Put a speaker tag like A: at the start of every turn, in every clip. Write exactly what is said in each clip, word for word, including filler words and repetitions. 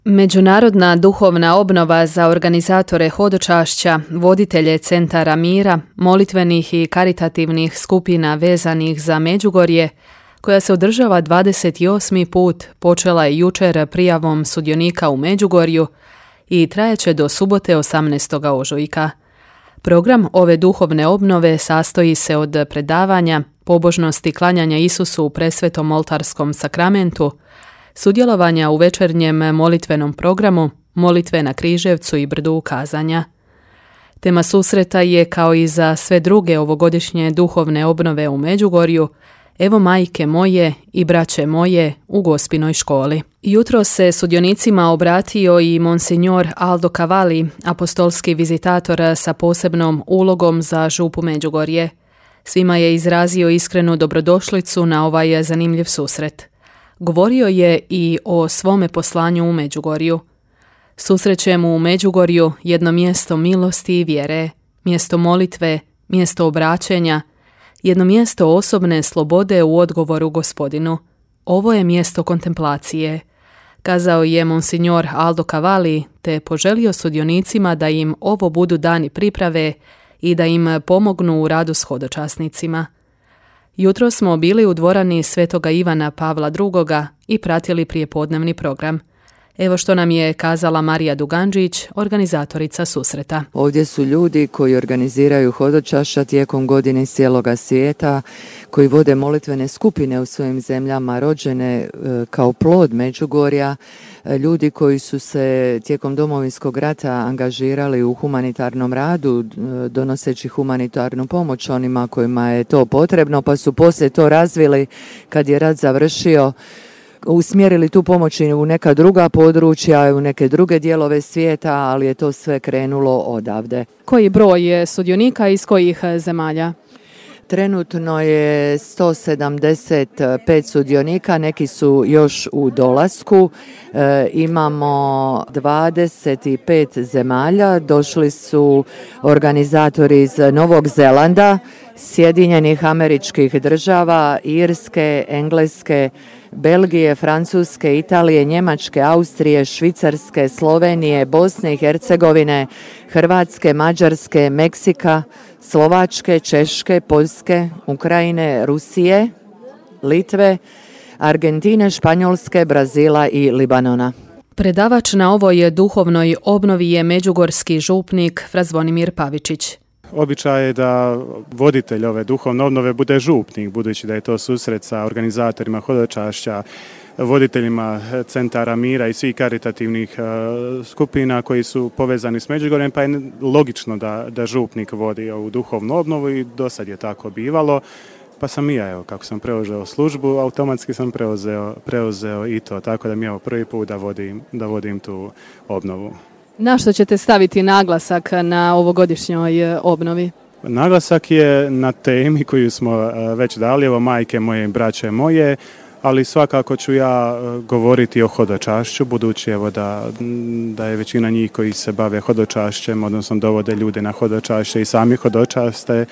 A: Međunarodna duhovna obnova za organizatore hodočašća, voditelje centara mira, molitvenih i karitativnih skupina vezanih za Međugorje, koja se održava dvadeset osmi put, počela je jučer prijavom sudionika u Međugorju i trajaće do subote osamnaestog ožujka. Program ove duhovne obnove sastoji se od predavanja, pobožnosti klanjanja Isusu u presvetom oltarskom sakramentu, sudjelovanja u večernjem molitvenom programu, molitve na Križevcu i brdu ukazanja. Tema susreta je, kao i za sve druge ovogodišnje duhovne obnove u Međugorju, Evo majke moje i braće moje u Gospinoj školi. Jutro se sudionicima obratio i monsignor Aldo Cavalli, apostolski vizitator sa posebnom ulogom za župu Međugorje. Svima je izrazio iskrenu dobrodošlicu na ovaj zanimljiv susret. Govorio je i o svome poslanju u Međugorju. Susrećemo u Međugorju jedno mjesto milosti i vjere, mjesto molitve, mjesto obraćenja, jedno mjesto osobne slobode u odgovoru Gospodinu. Ovo je mjesto kontemplacije, kazao je monsignor Aldo Cavalli, te poželio sudionicima da im ovo budu dani priprave i da im pomognu u radu s hodočasnicima. Jutro smo bili u dvorani Svetoga Ivana Pavla drugoga i pratili prijepodnevni program. Evo što nam je kazala Marija Duganđić, organizatorica susreta.
B: Ovdje su ljudi koji organiziraju hodočašća tijekom godine iz cijeloga svijeta, koji vode molitvene skupine u svojim zemljama, rođene kao plod Međugorja, ljudi koji su se tijekom Domovinskog rata angažirali u humanitarnom radu, donoseći humanitarnu pomoć onima kojima je to potrebno, pa su poslije to razvili kad je rat završio, usmjerili tu pomoć u neka druga područja, u neke druge dijelove svijeta, ali je to sve krenulo odavde.
A: Koji broj je sudionika iz kojih zemalja?
B: Trenutno je sto sedamdeset pet sudionika, neki su još u dolasku. E, imamo dvadeset pet zemalja, došli su organizatori iz Novog Zelanda, Sjedinjenih Američkih Država, Irske, Engleske, Belgije, Francuske, Italije, Njemačke, Austrije, Švicarske, Slovenije, Bosne i Hercegovine, Hrvatske, Mađarske, Meksika, Slovačke, Češke, Poljske, Ukrajine, Rusije, Litve, Argentine, Španjolske, Brazila i Libanona.
A: Predavač na ovoj duhovnoj obnovi je međugorski župnik Fra Zvonimir Pavičić.
C: Običaj je da voditelj ove duhovne obnove bude župnik, budući da je to susret sa organizatorima hodočašća, voditeljima centara mira i svih karitativnih uh, skupina koji su povezani s Međugorjem, pa je logično da, da župnik vodi ovu duhovnu obnovu i do sad je tako bivalo. Pa sam i ja, evo, kako sam preuzeo službu, automatski sam preuzeo, preuzeo i to, tako da mi je ovo prvi put da vodim, da vodim tu obnovu.
A: Na što ćete staviti naglasak na ovogodišnjoj obnovi?
C: Naglasak je na temi koju smo već dali, evo majke moje i braće moje, ali svakako ću ja govoriti o hodočašću, budući evo da, da je većina njih koji se bave hodočašćem, odnosno dovode ljude na hodočašće i sami hodočaste.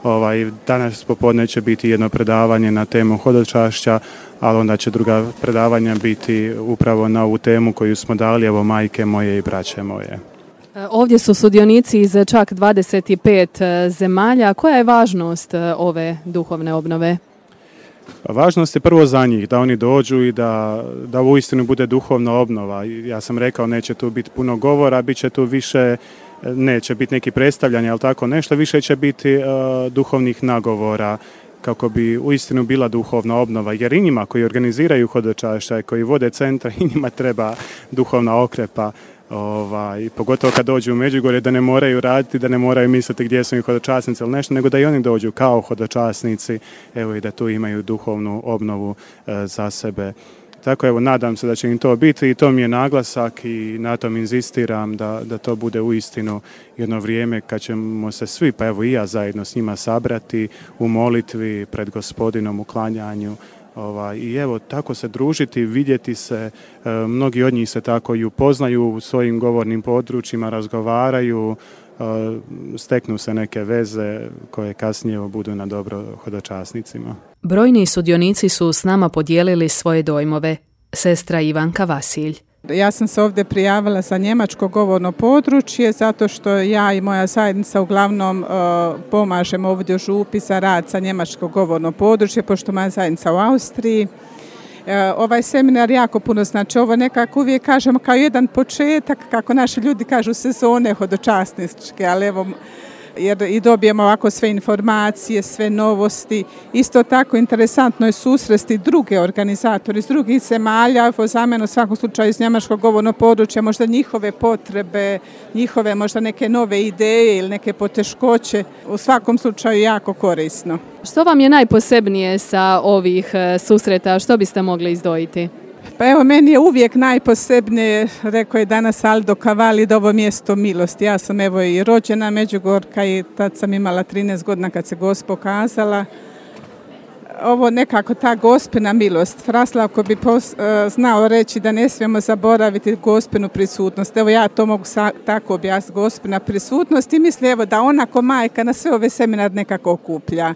C: Ovaj, danas popodne će biti jedno predavanje na temu hodočašća, ali onda će druga predavanja biti upravo na ovu temu koju smo dali, evo majke moje i braće moje.
A: Ovdje su sudionici iz čak dvadeset pet zemalja. Koja je važnost ove duhovne obnove?
C: Važnost je prvo za njih, da oni dođu i da, da uistinu bude duhovna obnova. Ja sam rekao, neće tu biti puno govora, bit će tu više, neće biti neki predstavljanja, ali tako nešto, više će biti uh, duhovnih nagovora kako bi uistinu bila duhovna obnova, jer i njima koji organiziraju hodočašća i koji vode centra, i njima treba duhovna okrepa. Ovaj, pogotovo kad dođu u Međugorje, da ne moraju raditi, da ne moraju misliti gdje su im hodočasnici ili nešto, nego da i oni dođu kao hodočasnici, evo, i da tu imaju duhovnu obnovu e, za sebe. Tako evo, nadam se da će im to biti i to mi je naglasak i na tom inzistiram da, da to bude uistinu jedno vrijeme kad ćemo se svi, pa evo i ja zajedno s njima sabrati u molitvi pred Gospodinom, u klanjanju. Ovaj, I evo, tako se družiti, vidjeti se, e, mnogi od njih se tako i upoznaju u svojim govornim područjima, razgovaraju, e, steknu se neke veze koje kasnije budu na dobro hodočasnicima.
A: Brojni sudionici su s nama podijelili svoje dojmove. Sestra Ivanka Vasilj.
D: Ja sam se ovdje prijavila za njemačko govorno područje zato što ja i moja zajednica uglavnom uh, pomažemo ovdje u župi za rad za njemačko govorno područje, pošto moja zajednica u Austriji. Uh, ovaj seminar jako puno znači. Ovo nekako uvijek kažemo kao jedan početak, kako naši ljudi kažu, sezone hodočasničke, ali evo, jer i dobijemo ovako sve informacije, sve novosti. Isto tako interesantno je susresti druge organizatori iz drugih zemalja, za mene u svakom slučaju iz njemačkog govornog područja, možda njihove potrebe, njihove možda neke nove ideje ili neke poteškoće, u svakom slučaju jako korisno.
A: Što vam je najposebnije sa ovih susreta, što biste mogli izdvojiti?
D: Pa evo, meni je uvijek najposebnije, rekao je danas Aldo Cavalli, da ovo mjesto milosti. Ja sam evo i rođena Međugorka i tad sam imala trinaest godina kad se Gospa pokazala. Ovo nekako ta Gospina milost. Fraslavko bi pos, uh, znao reći da ne smijemo zaboraviti Gospinu prisutnost. Evo ja to mogu sa, tako objasniti, Gospina prisutnost, i mislim evo da ona ko majka na sve ove seminar nekako okuplja.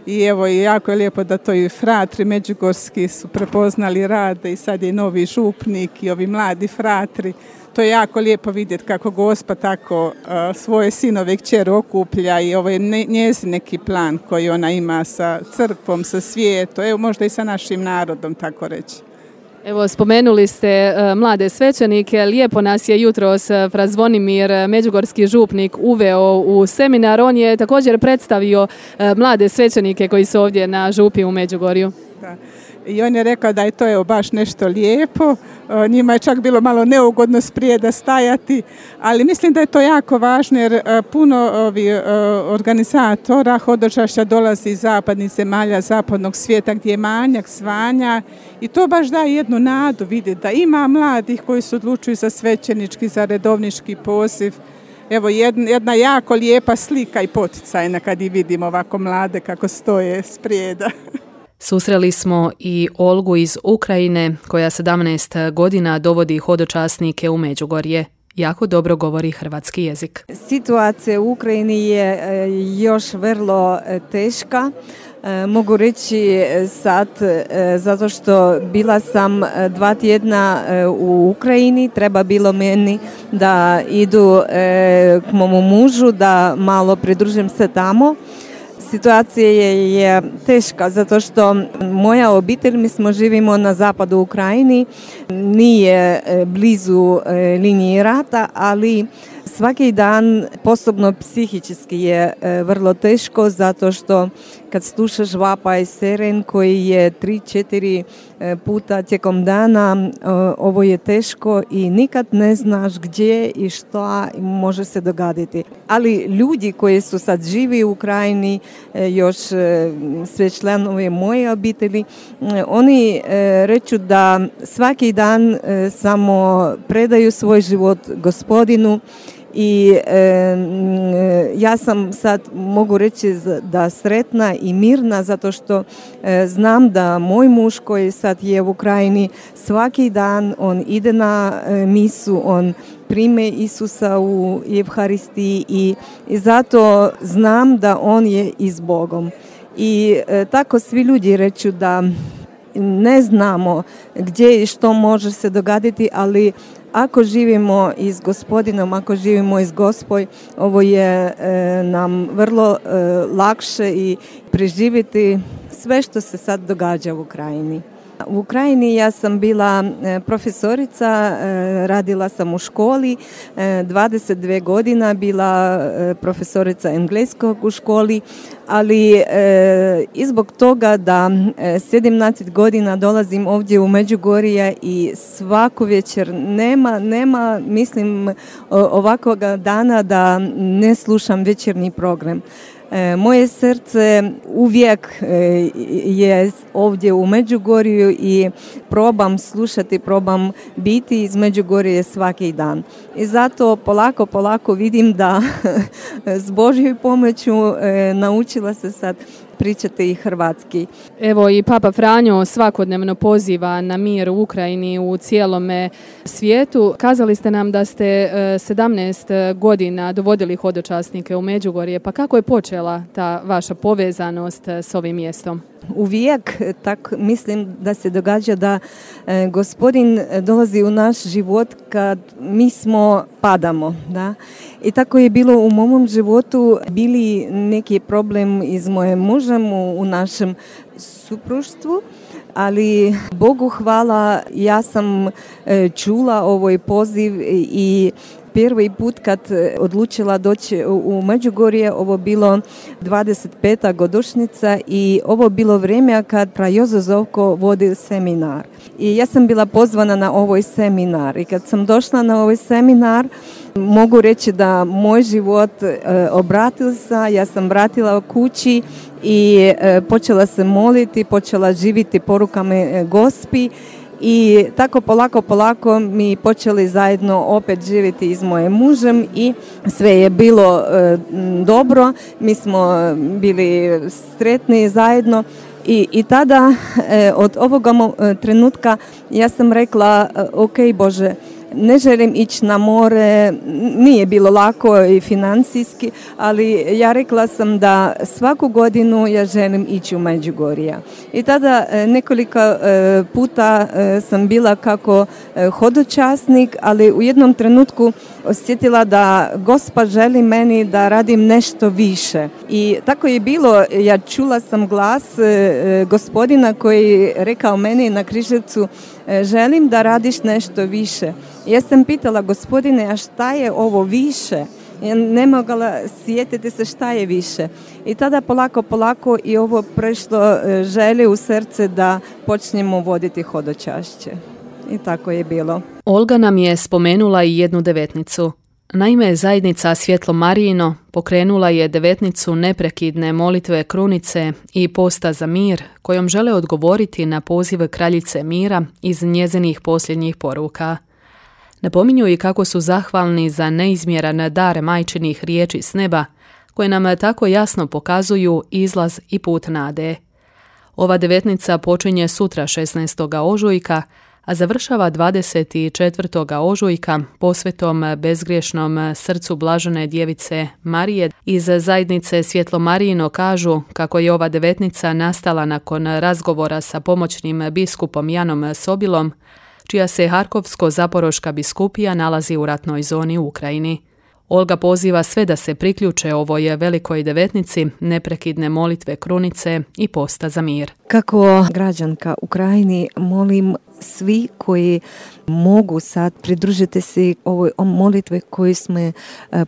D: I evo, i jako je lijepo da to i fratri međugorski su prepoznali rad i sad je novi župnik i ovi mladi fratri. To je jako lijepo vidjeti kako Gospa tako uh, svoje sinove i kćeri okuplja i ovo je ne, njezin neki plan koji ona ima sa crkvom, sa svijetom, evo možda i sa našim narodom, tako reći.
A: Evo, spomenuli ste uh, mlade svećenike, lijepo nas je jutros uh, fra Zvonimir, međugorski župnik, uveo u seminar. On je također predstavio uh, mlade svećenike koji su ovdje na župi u Međugorju.
D: Da. I on je rekao da je to evo baš nešto lijepo, njima je čak bilo malo neugodno sprijeda stajati, ali mislim da je to jako važno jer puno ovi organizatora hodočašća dolazi iz zapadnih zemalja, zapadnog svijeta gdje je manjak zvanja i to baš daje jednu nadu vidjeti da ima mladih koji se odlučuju za svećenički, za redovnički poziv. Evo jedna, jedna jako lijepa slika i poticajna kad i vidimo ovako mlade kako stoje sprijeda.
A: Susreli smo i Olgu iz Ukrajine koja sedamnaest godina dovodi hodočasnike u Međugorje. Jako dobro govori hrvatski jezik.
E: Situacija u Ukrajini je još vrlo teška. Mogu reći sad, zato što bila sam dva tjedna u Ukrajini, treba bilo meni da idu k momu mužu, da malo pridružim se tamo. Situacija je, je teška zato što moja obitelj, mi smo živimo na zapadu Ukrajini, nije blizu linije rata, ali svaki dan, posebno psihički je vrlo teško zato što kad slušaš vapaj siren koji je tri četiri puta tijekom dana, ovo je teško i nikad ne znaš gdje i što može se dogoditi. Ali ljudi koji su sad živi u Ukrajini, još sve članovi moje obitelji, oni reču da svaki dan samo predaju svoj život Gospodinu. I e, ja sam sad mogu reći da sretna i mirna zato što e, znam da moj muž koji sad je u Ukrajini svaki dan on ide na e, misu, on prime Isusa u Evharistiji i, i zato znam da on je i s Bogom. I e, tako svi ljudi reču da ne znamo gdje i što može se dogoditi, ali ako živimo i s Gospodinom, ako živimo i s Gospoj, ovo je e, nam vrlo e, lakše i preživjeti sve što se sad događa u Ukrajini. U Ukrajini ja sam bila profesorica, radila sam u školi, dvadeset dvije godina bila profesorica engleskog u školi, ali i zbog toga da sedamnaest godina dolazim ovdje u Međugorje i svaku večer nema, nema mislim ovakvog dana da ne slušam večernji program. Moje srce uvijek je ovdje u Međugorju i probam slušati, probam biti iz Međugorje svaki dan. I zato polako, polako vidim da s Božjom pomoću naučila se sad pričati i hrvatski.
A: Evo i Papa Franjo svakodnevno poziva na mir u Ukrajini, u cijelome svijetu. Kazali ste nam da ste sedamnaest godina dovodili hodočasnike u Međugorje, pa kako je počela ta vaša povezanost s ovim mjestom?
E: Uvijek tak mislim da se događa da e, gospodin dolazi u naš život kad mi smo padamo. Da? I tako je bilo u mom životu, bili neki problem iz moje mužem u, u našem supruštvu, ali Bogu hvala, ja sam e, čula ovaj poziv i prvi put kad odlučila doći u Međugorje, ovo bilo dvadeset peta godišnjica i ovo bilo vrijeme kad Fra Jozo Zovko vodi seminar. I ja sam bila pozvana na ovaj seminar i kad sam došla na ovaj seminar, mogu reći da moj život e, obratil se, ja sam vratila u kući i e, počela se moliti, počela živiti porukama e, Gospi. I tako polako, polako mi počeli zajedno opet živjeti s mojim mužem i sve je bilo e, dobro, mi smo bili sretni zajedno i, i tada e, od ovoga mo- trenutka ja sam rekla, ok Bože, ne želim ići na more, nije bilo lako i financijski, ali ja rekla sam da svaku godinu ja želim ići u Međugorje. I tada nekoliko puta sam bila kako hodočasnik, ali u jednom trenutku osjetila da Gospa želi meni da radim nešto više. I tako je bilo, ja čula sam glas gospodina koji rekao meni na Križevcu, želim da radiš nešto više. Ja sam pitala, gospodine, a šta je ovo više? Ja ne mogla sjetiti se šta je više. I tada polako, polako i ovo prešlo želje u srce da počnemo voditi hodočašće. I tako je bilo.
A: Olga nam je spomenula i jednu devetnicu. Naime, zajednica Svjetlo Marijino pokrenula je devetnicu neprekidne molitve krunice i posta za mir, kojom žele odgovoriti na poziv kraljice mira iz njezinih posljednjih poruka. Napominju i kako su zahvalni za neizmjeran dar majčinih riječi s neba, koje nam tako jasno pokazuju izlaz i put nade. Ova devetnica počinje sutra šesnaestog ožujka, a završava dvadeset četvrtog ožujka posvetom bezgriješnom srcu blažene djevice Marije. Iz zajednice Svjetlo Marijino kažu kako je ova devetnica nastala nakon razgovora sa pomoćnim biskupom Janom Sobilom, čija se Harkovsko-Zaporoška biskupija nalazi u ratnoj zoni u Ukrajini. Olga poziva sve da se priključe ovoj velikoj devetnici, neprekidne molitve krunice i posta za mir.
E: Kako građanka Ukrajini molim svi koji mogu sad pridružiti se ovoj molitve koju smo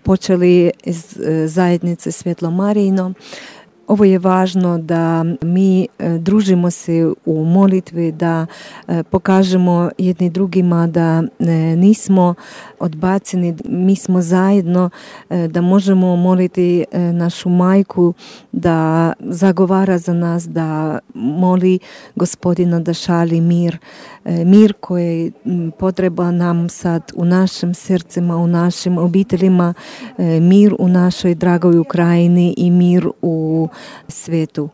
E: počeli iz zajednice Svjetlo Marijino. Ovo je važno da mi družimo se u molitvi, da pokažemo jedni drugima da nismo odbaceni, mi smo zajedno, da možemo moliti našu majku da zagovara za nas, da moli Gospodina da šalji mir, mir koji potreba nam sad u našim srcima, u našim obiteljima, mir u našoj dragoj Ukrajini i mir u svijetu.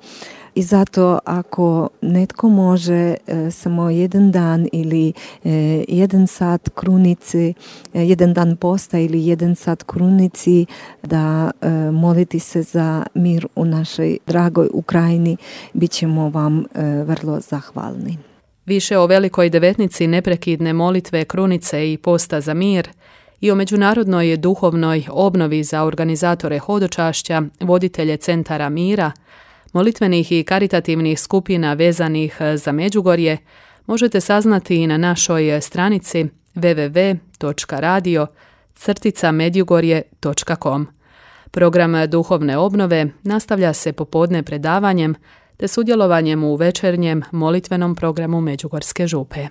E: I zato ako netko može e, samo jedan dan ili e, jedan sat krunici, e, jedan dan posta ili jedan sat krunici da e, moliti se za mir u našoj dragoj Ukrajini, bit ćemo vam e, vrlo zahvalni.
A: Više o velikoj devetnici neprekidne molitve krunice i posta za mir i o međunarodnoj duhovnoj obnovi za organizatore hodočašća, voditelje centara mira, molitvenih i karitativnih skupina vezanih za Međugorje možete saznati i na našoj stranici w w w točka radio crtica medjugorje točka com. Program duhovne obnove nastavlja se popodne predavanjem te sudjelovanjem u večernjem molitvenom programu Međugorske župe.